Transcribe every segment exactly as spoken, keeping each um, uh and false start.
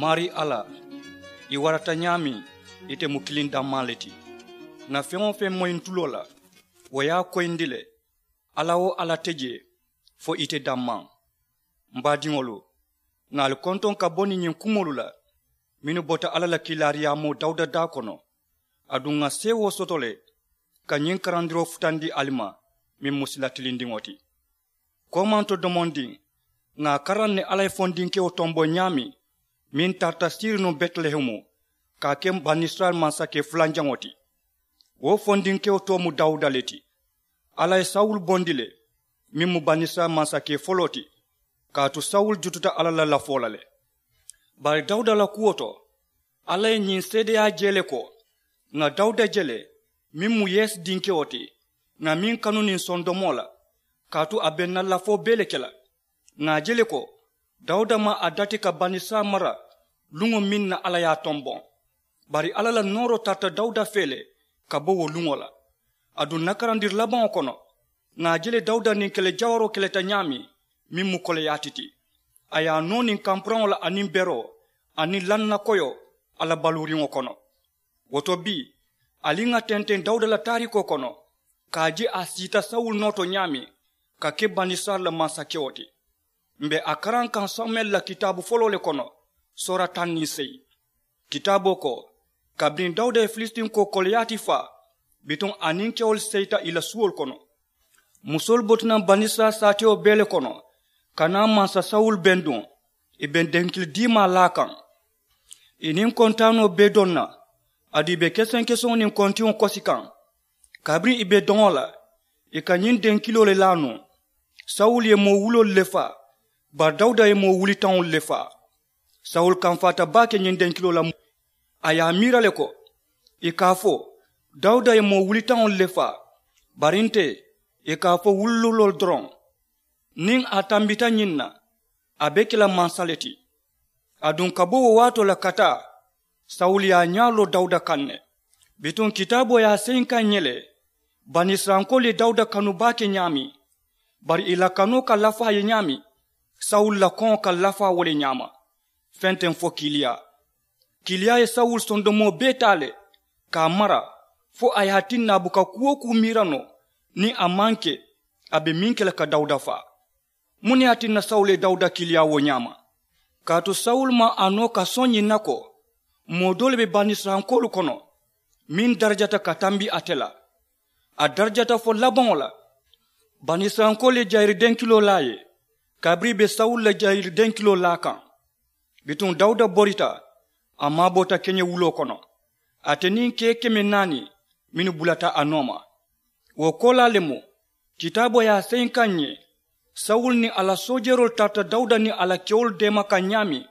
Maarii alla, i warata ñaameŋ, ite mu kiliŋ dammaa le ti. Ŋà feŋ-wo-feŋ moyi ǹ tuloo la, wo ye a koyindi le. Alla-wo-alla te jee fo ite dammaa. M baadiŋolu, ŋà ali kontoŋ ka bo niŋ ñiŋ kumoolu la mennu bota alla la kiilaariyaamoo dawuda daa kono. Aduŋ ŋà seewoo soto le ka ñiŋ karandiroo futandi ali ma, meŋ mu sila tilindiŋo ti. Koomanto domondiŋ, ŋà a karaŋ ne alla ye fondinkewo tomboŋ ñaameŋ meŋ tarata siiri nuŋ betilehemu ka a ke banisirayila mansakee fulanjaŋo ti. Wo fondinkewo too mu dawuda le ti. Alla ye sawulu bondi le, meŋ mu banisirayila mansakee foloo ti. Kaatu sawulu jututa alla la lafoo la le. Bari dawuda la kuwo to, alla ye ñiŋ seedeyaa je le ko, ŋà dawuda je le, meŋ mu yesi dinkewo ti, ŋà meŋ kanu niŋ sondomoo la, kaatu a be ǹ na lafoo bee le ke la. Ŋà a je le ko, dawuda maŋ a dati ka banisirayila mara luŋo meŋ na alla ye a tomboŋ. Bari alla la nooroo tarata dawuda fee le ka bo wo luŋo la. Aduŋ ǹ na karandiri labaŋo kono, ŋà a je le dawuda niŋ kele jawaroo keleta ñaameŋ, meŋ mu koleyaati ti. A ye a noo niŋ kampuraŋo la aniŋ beroo, aniŋ lannakoyoo, a la baluuriŋo kono. Wo to bii, ali ŋà tenteŋ dawuda la taariikoo kono, ka a je a siita sawulu noo to ñaameŋ ka ke banisirayila la mansakewo ti. M be a karaŋ kaŋ samuwɛli la kitaabu foloo le kono, soora taŋ niŋ seyi. Kitaaboo ko, kabiriŋ dawuda ye filisitinko koliyaati faa, bituŋ a niŋ kewolu seyita ì la suwolu kono. Musoolu bota naŋ banisirayila saatewo bee le kono, ka naa mansa sawulu benduŋ, ì be denkili diimaa laa kaŋ. Ì niŋ kontaanoo bee doŋ na, aduŋ ì be kesenkeseŋo niŋ kontiŋo kosi kaŋ. Kabiriŋ ì be doŋo la, ì ka ñiŋ denkiloo le laa nuŋ. Sawulu ye moo wuloolu le faa, bari dawuda ye moo wulitaŋolu le faa. Sawulu kamfaata baake ñiŋ denkiloo la. A ye a miira le ko, ì ka a fo, dawuda ye moo wulitaŋolu le faa, bari nte, ì ka a fo wululoolu doroŋ. Niŋ a tambita ñiŋ na, a be ke la mansa le ti. Aduŋ ka bo wo waatoo la ka taa, sawulu ye a ñaa loo dawuda kaŋ ne. Bituŋ kitaaboo ye a seyinkaŋ ǹ ye le, banisirayilankoolu ye dawuda kanu baake ñaameŋ, bari ì la kanoo ka lafaa ye ñaameŋ, sawulu la koŋo ka lafaa wo le ñaama. Feŋ te fo kiiliyaa. Kiiliyaa ye sawulu sondomoo bee taa le, ka a mara, fo a ye a tinna a buka kuu-wo-kuu miira noo niŋ a maŋ ke a be meŋ ke la ka dawuda faa. Muŋ ne ye a tinna sawulu ye dawuda kiiliyaa wo ñaama? Kaatu sawulu maŋ a noo ka soŋ ñiŋ na ko, moo doolu be banisirayilankoolu kono meŋ darajata ka tambi ate la. A darajata fo labaŋo la. Banisirayilankoolu ye jayiri denkiloo laa a ye, kabiriŋ ì be sawulu la jayiri denkiloo laa kaŋ. Bituŋ dawuda borita, a maaboota keñewuloo kono, ate niŋ kee keme naani mennu bulata a nooma. Wo koolaa le mu, kitaaboo ye a seyinkaŋ ǹ ye, sawulu niŋ a la soojeroolu tarata dawuda niŋ a la kewolu deema kaŋ ñaameŋ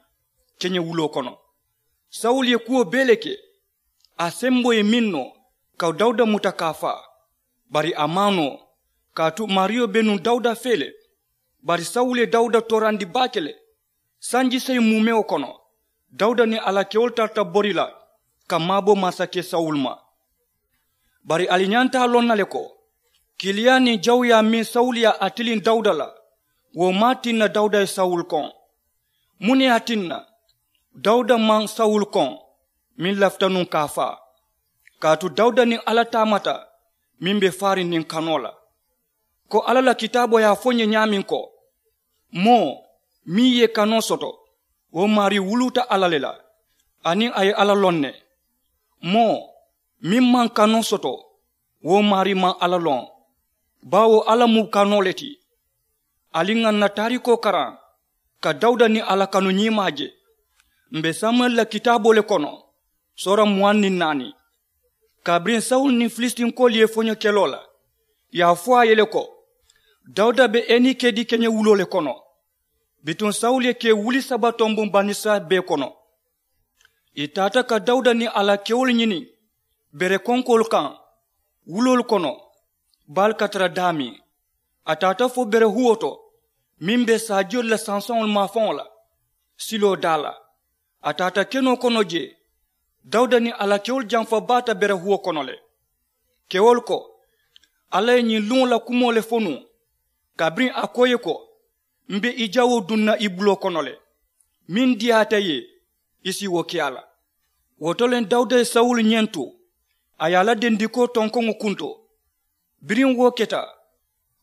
keñewuloo kono. Sawulu ye kuwo bee le ke, a semboo ye meŋ noo ka dawuda muta ka a faa, bari a maŋ a noo. Kaatu maariyo be nuŋ dawuda fee le. Bari sawulu ye dawuda toorandi baake le. Sanji seyi muumewo kono, dawuda niŋ a la kewolu tarata bori la ka maabo mansakee sawulu ma. Bari ali ñanta a loŋ na le ko, kiiliyaa niŋ jawuyaa meŋ sawulu ye a tiliŋ dawuda la, wo maŋ a tinna dawuda ye sawulu koŋ. Muŋ ne ye a tinna? Dawuda maŋ sawulu koŋ, meŋ lafita nuŋ ka a faa. Kaatu dawuda niŋ alla taamata meŋ be faariŋ niŋ kanoo la. Ko alla la kitaaboo ye a fo ǹ ye ñaameŋ ko, moo meŋ ye i kanoo soto, wo maarii wuluuta alla le la, aniŋ a ye alla loŋ ne. Moo meŋ maŋ kanoo soto, wo maarii maŋ alla loŋ, baawo alla mu kanoo le ti. Ali ŋà ǹ na taariikoo karaŋ ka dawuda niŋ alla kanu ñiimaa je. M̀ be samuwɛli la kitaaboo le kono, soora muwaŋ niŋ naani. Kabiriŋ sawulu niŋ filisitinkoolu ye foño keloo la, ì ye a fo a ye le ko, dawuda be enikedi keñewuloo le kono. Bituŋ sawulu ye kee wuli saba tombuŋ banisirayila bee kono. Ì taata ka dawuda niŋ a la kewolu ñini bere konkoolu kaŋ, wuloolu kono, baalu ka tara daameŋ. A taata fo bere huwo to meŋ be saajiyolu la sansaŋolu maafaŋo la, siloo daa la. A taata kenoo kono jee. Dawuda niŋ a la kewolu jamfa baata bere huwo kono le. Kewolu ko, alla ye ñiŋ luŋo la kumoo le fo nuŋ, kabiriŋ a ko ì ye ko, m̀ be i jawoo duŋ na i buloo kono le. Meŋ diyaata ì ye, I si wo ke a la. Wo to le dawuda ye sawulu ñentu, a ye a la dendikoo tonkoŋo kunto. Biriŋ wo keta,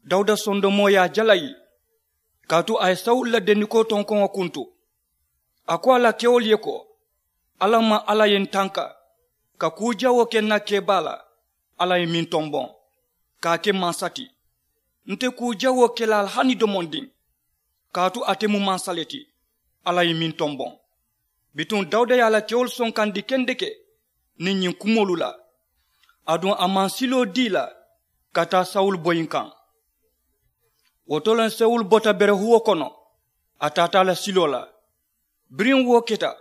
dawuda sondomoo ye a jalayi, kaatu a ye sawulu la dendikoo tonkoŋo kuntu. A ko a la kewolu ye ko, alla maŋ alla ye n tanka ka kuu jawoo ke n na kebaa la. Alla ye meŋ tomboŋ ka a ke mansa ti, nte kuu jawoo ke la a la hani domondiŋ, kaatu ate mu mansa le ti. Alla ye meŋ tomboŋ. Bituŋ dawuda ye a la kewolu sonkandi kendeke niŋ ñiŋ kumoolu la. Aduŋ a maŋ siloo dii la ka taa sawulu boyiŋ kaŋ. Wo to le sawulu bota berehuwo kono, a taata a la siloo la. Biriŋ wo keta,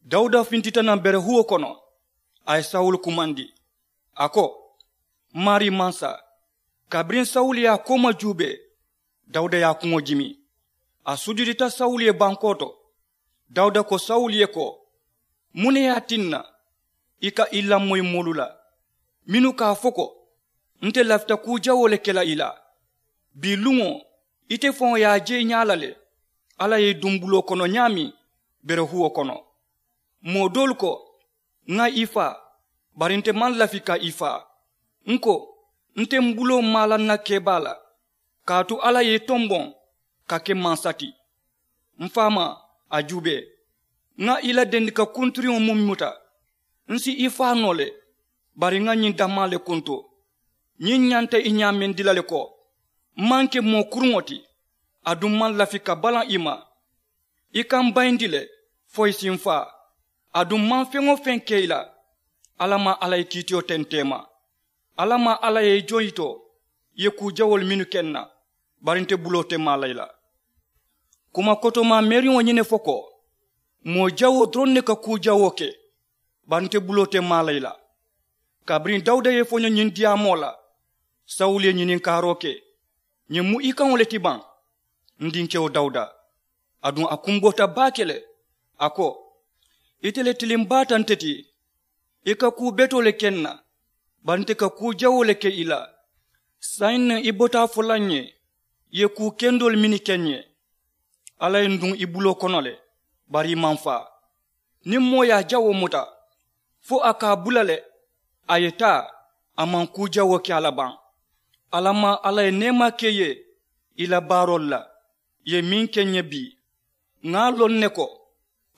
dawuda fintita naŋ berehuwo kono, a ye sawulu kumandi, a ko, maarii mansa. Kabiriŋ sawulu ye a kooma juubee, dawuda ye a kuŋo jimi. A sujudita sawulu ye bankoo to. Dawuda ko sawulu ye ko, muŋ ne ye a tinna i ka i lamoyi moolu la mennu ka a fo ko, nte lafita kuu jawoo le ke la i la? Bii luŋo ite faŋo ye a je i ñaa la le. Alla ye i duŋ buloo kono ñaameŋ berehuwo kono. Moo doolu ko, ŋa i faa, bari nte maŋ lafi ka i faa. N ko, nte m buloo maa la n na kebaa la, kaatu alla ye i tomboŋ ka ke mansa ti. M faamaa, a juubee, ŋa i la dendika kunturiŋo muŋ muta, n si i faa noo le. Bari ŋa ñiŋ dammaa le kuntu. Ñiŋ ñanta i ñaamendi la le ko, m maŋ ke moo kuruŋo ti, aduŋ m maŋ lafi ka balaŋ i ma. I ka m bayindi le fo i si m faa. Aduŋ m maŋ feŋ-wo-feŋ ke i la, alla maŋ alla ye kiitiyo tenteema. Alla maŋ alla ye i joŋ yitoo i ye kuu jawoolu mennu ke n na, bari nte buloo te maa la i la. Kuma kotomaa meeriŋo ñiŋ ne fo ko, moo jawoo doroŋ ne ka kuu jawoo ke, bari nte buloo te maa la i la. Kabiriŋ dawuda ye i foño ñiŋ diyaamoo la, sawulu ye ñininkaaroo ke, ñiŋ mu i kaŋo le ti baŋ? N dinkewo dawuda. Aduŋ a kumboota baake le, a ko, ite le tiliŋ baata nte ti. I ka kuu betoo le ke n na, bari nte ka kuu jawoo le ke i la. Saayiŋ ne i bota a fo la n ye i ye kuu kendoolu mennu ke n ye. Alla ye n duŋ i buloo kono le, bari i maŋ faa. Niŋ moo ye a jawoo muta fo a ka a bula le, a ye taa, a maŋ kuu jawoo ke a la baŋ. Alla maŋ alla ye neemaa ke i ye i la baaroolu la, i ye meŋ ke n ye bii. Ŋa a loŋ ne ko,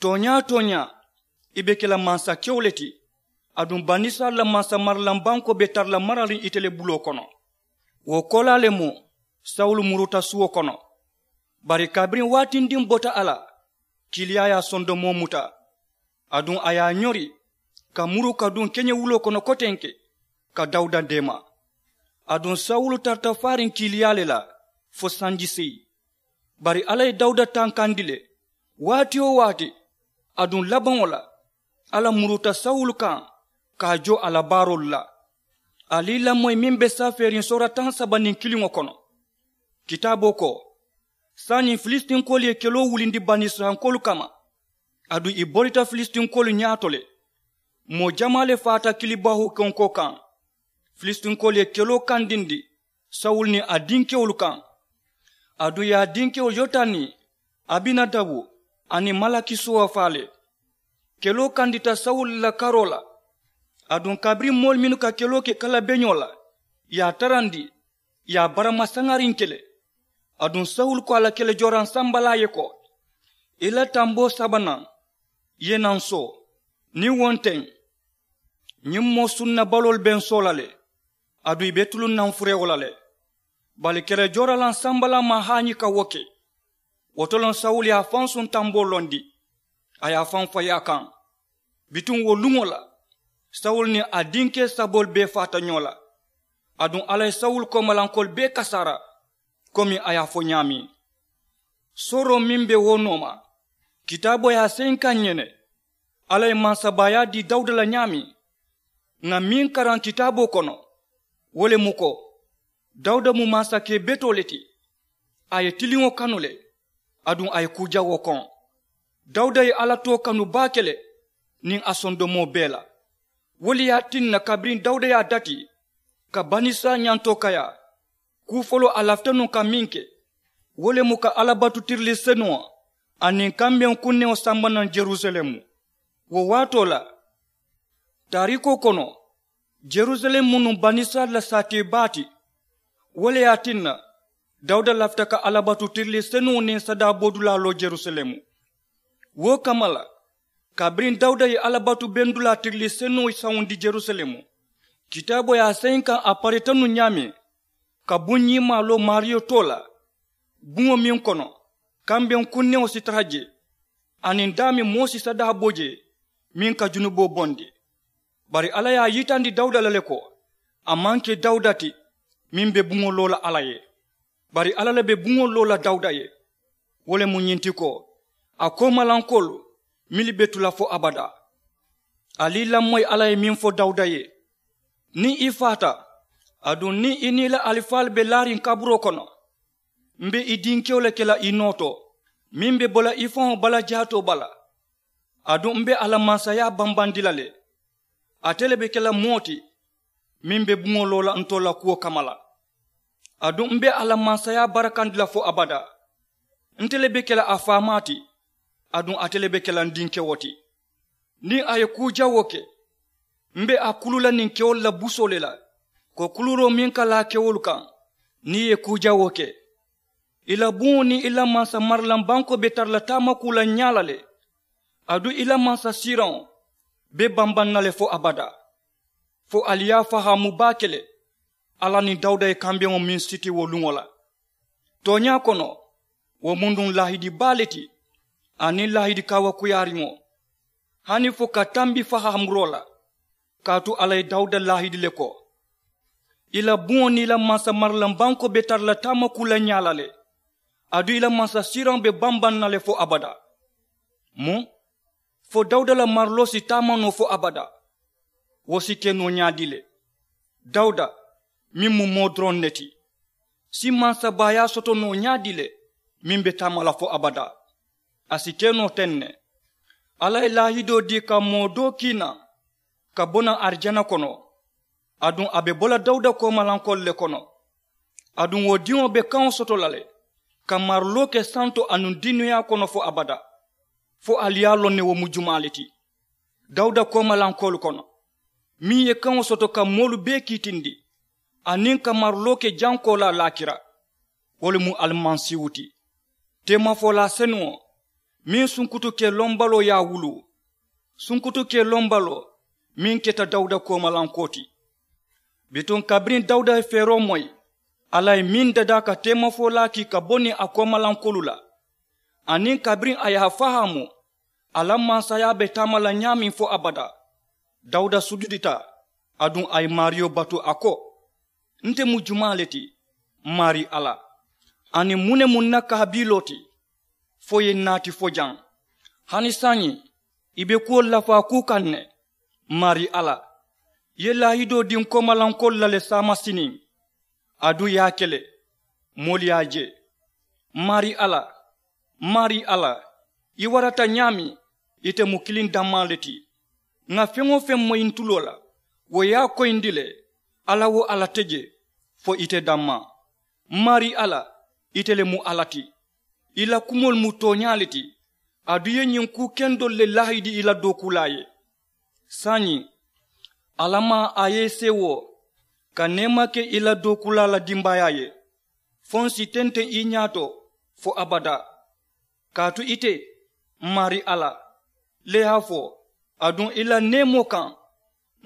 tooñaa-tooñaa, i be ke la mansakewo le ti. Aduŋ banisirayila mansamaralaŋ bankoo be tara la marariŋ ite le buloo kono. Wo koolaa le mu sawulu muruta suwo kono. Bari kabiriŋ waatindiŋ bota a la, kiiliyaa ye a sondomoo muta. Aduŋ a ye a ñori ka muru ka duŋ keñewuloo kono kotenke, ka dawuda deema. Aduŋ sawulu tarata faariŋ kiiliyaa le la fo sanji seyi. Bari alla ye dawuda tankandi le, waati-wo-waati. Aduŋ labaŋo la, alla muruta sawulu kaŋ ka a jo a la baaroolu la. Ali lamoyi meŋ be safeeriŋ soora taŋ saba niŋ kiliŋo kono. Kitaaboo ko, saayiŋ filisitinkoolu ye keloo wulindi banisirayilankoolu kamma, aduŋ i borita filisitinkoolu ñaato le. Moo jamaa le faata kilibaahuu konkoo kaŋ. Filisitinkoolu ye keloo kandindi sawulu niŋ a dinkewolu kaŋ. Aduŋ i ye a dinkewo yotani, abinadabu, aniŋ malakisuwa faa le. Keloo kandita sawulu la karoo la. Aduŋ kabiriŋ moolu mennu ka keloo ke kalabeñoo la, i ye a tarandi, i ye a barama saŋariŋ ke le. Aduŋ sawulu ko a la kelejooraŋ sambalaa ye ko, i la tamboo sabanaŋ ye naŋ soo. Niŋ wo nteŋ, ñiŋ moo sunnabaloolu be n soo la le. Aduŋ i be tuluŋ naŋ furewo la le. Bari kelejooralaŋ sambalaa maŋ haañi ka wo ke. Wo to loŋ sawulu ye a faŋ suŋ tamboo londi, a ye a faŋ fayi a kaŋ. Bituŋ wo luŋo la, sawulu niŋ a dinkee saboolu bee faata ñoo la. Aduŋ alla ye sawulu koomalankoolu bee kasaara, komi a ye a fo ñaameŋ. Sooroo meŋ be wo nooma, kitaaboo ye a seyinkaŋ ñene. Alla ye mansabaayaa dii dawuda la ñaameŋ, ŋà meŋ karaŋ kitaaboo kono, wo le mu ko, dawuda mu mansakee betoo le ti. A ye tiliŋo kanu le, aduŋ a ye kuu jawoo koŋ. Dawuda ye alla too kanu baake le, niŋ a sondomoo bee la. Wo le ye a tinna kabiriŋ dawuda ye a dati ka banisirayila ñantoo kayaa, kuu foloo a lafita nuŋ ka meŋ ke, wo le mu ka alla batu tirili senuŋo aniŋ kambeŋ kunneŋo samba naŋ jerusalemu. Wo waatoo la taariikoo kono, jerusalemu mu nuŋ banisirayila la saatee baa ti. Wo le ye a tinna dawuda lafita ka alla batu tirilii senuŋo niŋ sadaa bodulaa loo jerusalemu. Wo kamma la, kabiriŋ dawuda ye alla batu bendulaa tirilii senuŋo sawundi jerusalemu, kitaaboo ye a seyiŋ kaŋ a parita nuŋ ñaameŋ ka buŋ ñiŋ maaloo maariyo too la, buŋo meŋ kono kambeŋ kunneŋo si tara jee, aniŋ daameŋ moo si sadaa bo jee meŋ ka junuboo bondi. Bari alla ye a yitandi dawuda la le ko a maŋ ke dawuda ti meŋ be buŋo loo la alla ye, bari alla le be buŋo loo la dawuda ye. Wo le mu ñiŋ ti ko a koomalankoolu mennu be tu la fo abadaa. Ali i lamoyi alla ye meŋ fo dawuda ye, niŋ i faata, aduŋ niŋ i niŋ i la alifaalu be laariŋ kaburoo kono, m be i dinkewo le ke la i noo to meŋ be bo la i faŋo bala jaatoo bala. Aduŋ m be a la mansayaa bambandi la le. Ate le be ke la moo ti meŋ be buŋo loo la ntolu la kuwo kamma la. Aduŋ m be a la mansayaa barakandi la fo abadaa. Nte le be ke la a faamaa ti. Aduŋ ate le be ke la n dinkewo ti. Niŋ a ye kuu jawoo ke, m be a kulu la niŋ kewolu la busoo le la, ko kuluuroo meŋ ka laa kewolu kaŋ. Niŋ i ye kuu jawoo ke, i la buŋo niŋ i la mansa marilaŋ bankoo be tara la taamakuu la ñaa la le. Aduŋ i la mansa siiraŋo be bambaŋ na le fo abadaa. Fo ali ye a fahaamu baake le alla niŋ dawuda ye kambeŋo meŋ siti wo luŋo la. Tooñaa kono, wo mu nuŋ laahidi baa le ti, aniŋ laahidi kaawakuyaariŋo, hani fo ka tambi fahaamuroo la. Kaatu alla ye dawuda laahidi le ko, i la buŋo niŋ i la mansa marilaŋ bankoo be tara la taamakuu la ñaa la le. Aduŋ i la mansa siiraŋo be bambaŋ na le fo abadaa. Mu fo dawuda la mariloo si taama noo fo abadaa. Wo si ke noo ñaadii le? Dawuda meŋ mu moo doroŋ ne ti, si mansabaayaa soto noo ñaadii le meŋ be taama la fo abadaa? A si ke noo teŋ ne. Alla ye laahidoo dii ka moo doo kiina ka bo naŋ arijana kono. Aduŋ a be bo la dawuda koomalankoolu le kono. Aduŋ wo diŋo be kaŋo soto la le ka mariloo ke santo anuŋ duniyaa kono fo abadaa. Fo ali ye a loŋ ne wo mu jumaa le ti? Dawuda koomalankoolu kono meŋ ye kaŋo soto ka moolu bee kiitindi, aniŋ ka mariloo ke jankoo la laakira, wo le mu alimasiihu ti, teemafolaa senuŋo meŋ sunkutu ke lombaloo ye a wuluu, sunkutu ke lombaloo meŋ keta dawuda koomalankoo ti. Bituŋ kabiriŋ dawuda ye feeroo moyi, alla ye meŋ dadaa ka teemafolaa kii ka bo niŋ a koomalankoolu la, aniŋ kabiriŋ a ye a fahaamu a la mansayaa be taama la ñaameŋ fo abadaa, dawuda sujudita. Aduŋ a ye maariyo batu a ko, nte mu jumaa le ti, maarii alla? Aniŋ muŋ ne mu n na kaabiloo ti fo i ye n naati fo jaŋ? Hani saayiŋ i be kuwolu lafaa kuu kaŋ ne, maarii alla. I ye laahidoo dii n koomalankoolu la le saamasiniŋ, aduŋ i ye a ke le moolu ye a je. Maarii alla, maarii alla, i warata ñaameŋ, ite mu kiliŋ dammaa le ti. Ŋà feŋ-wo-feŋ moyi n tuloo la, wo ye a koyindi le. Alla-wo-alla te je fo ite dammaa. Maarii alla, ite le mu alla ti. I la kumoolu mu tooñaa le ti. Aduŋ i ye ñiŋ kuu kendoolu le laahidi i la dookuulaa ye. Saayiŋ, alla maŋ a ye i seewoo ka neema ke i la dookuulaa la dimbaayaa ye, fo n si tenteŋ i ñaato fo abadaa. Kaatu ite, maarii alla, le ye a fo, aduŋ i la neemoo kaŋ,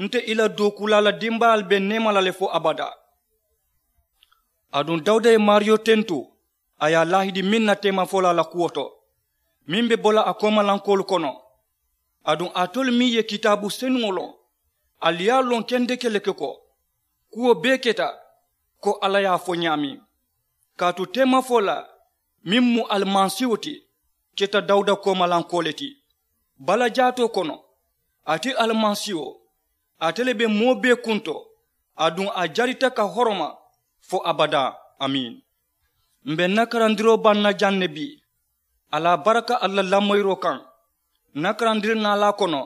nte i la dookuulaa la dimbaayaalu be neema la le fo abadaa. Aduŋ dawuda ye maariyo tentu, a ye a laahidi meŋ na teemafolaa la kuwo to, meŋ be bo la a koomalankoolu kono. Aduŋ alitolu meŋ ye kitaabu senuŋo loŋ, ali ye a loŋ kendeke le ke ko kuwo bee keta ko alla ye a fo ñaameŋ. Kaatu teemafolaa meŋ mu alimasiihu ti, keta dawuda koomalankoo le ti balajaatoo kono. Ate alimasiiho, ate le be moo bee kunto, aduŋ a jarita ka horoma fo abadaa. Amiin. M̀ be n na karandiroo baŋ na jaŋ ne bii. A la baraka ali la lamoyiroo kaŋ. N na karandiri naalaa kono,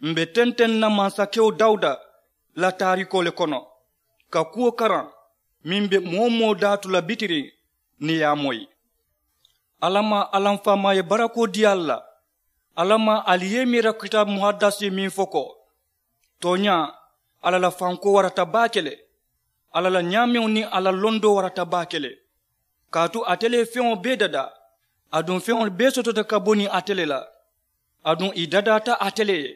m̀ be tenteŋ na mansakewo dawuda la taariikoo le kono, ka kuwo karaŋ meŋ be moo-wo-moo daatu la bitiriŋ niŋ i ye a moyi. Alla maa alla m faamaa ye barakoo dii ali la. Alla maa ali ye i miira kitaabu muhaddasi meŋ fo ko, tooñaa, alla la fankoo warata baake le. Alla la ñaameŋo niŋ a la londoo warata baake le. Kaatu ate le ye feŋo bee dadaa, aduŋ feŋolu bee sotota ka bo niŋ ate le la, aduŋ ì dadaata ate le ye.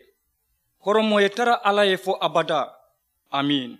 Horomoo ye tara alla ye fo abadaa. Amiin.